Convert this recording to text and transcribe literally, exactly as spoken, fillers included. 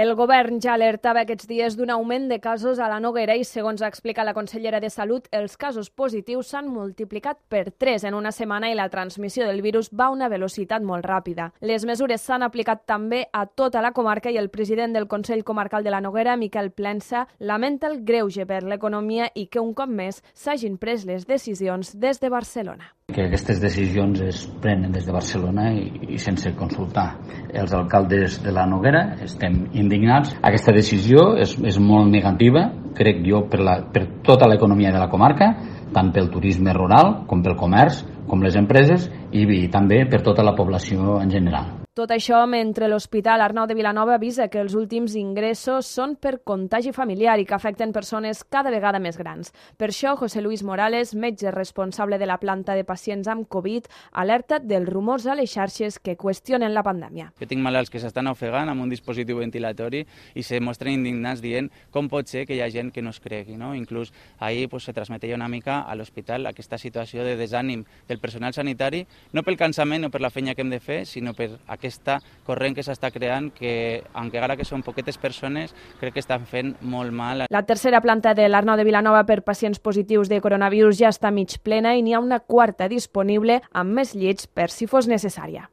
El govern ja alertava aquests dies d'un augment de casos a la Noguera i, segons explica la consellera de Salut, els casos positius s'han multiplicat per tres en una setmana i la transmissió del virus va a una velocitat molt ràpida. Les mesures s'han aplicat també a tota la comarca i el president del Consell Comarcal de la Noguera, Miquel Plensa, lamenta el greuge per l'economia i que un cop més s'hagin pres les decisions des de Barcelona. Que aquestes decisions es prenen des de Barcelona i, i sense consultar els alcaldes de la Noguera. Estem indignats. Aquesta decisió és, és molt negativa, crec jo, per, la, per tota l'economia de la comarca, tant pel turisme rural com pel comerç, com les empreses i, i també per tota la població en general. Tot això mentre l'Hospital Arnau de Vilanova avisa que els últims ingressos són per contagi familiar i que afecten persones cada vegada més grans. Per això, José Luis Morales, metge responsable de la planta de pacients amb Covid, alerta dels rumors a les xarxes que qüestionen la pandèmia. Jo tinc malalts que s'estan ofegant amb un dispositiu ventilatori i se mostren indignats dient com pot ser que hi ha gent que no es cregui. No? Inclús ahir pues, se transmetia una mica a l'hospital aquesta situació de desànim del personal sanitari, no pel cansament o per la feina que hem de fer, sinó per aquesta corrent que s'està creant que, encara que són poquetes persones, crec que estan fent molt mal. La tercera planta de l'Arnau de Vilanova per pacients positius de coronavirus ja està mig plena i n'hi ha una quarta disponible amb més llits per si fos necessària.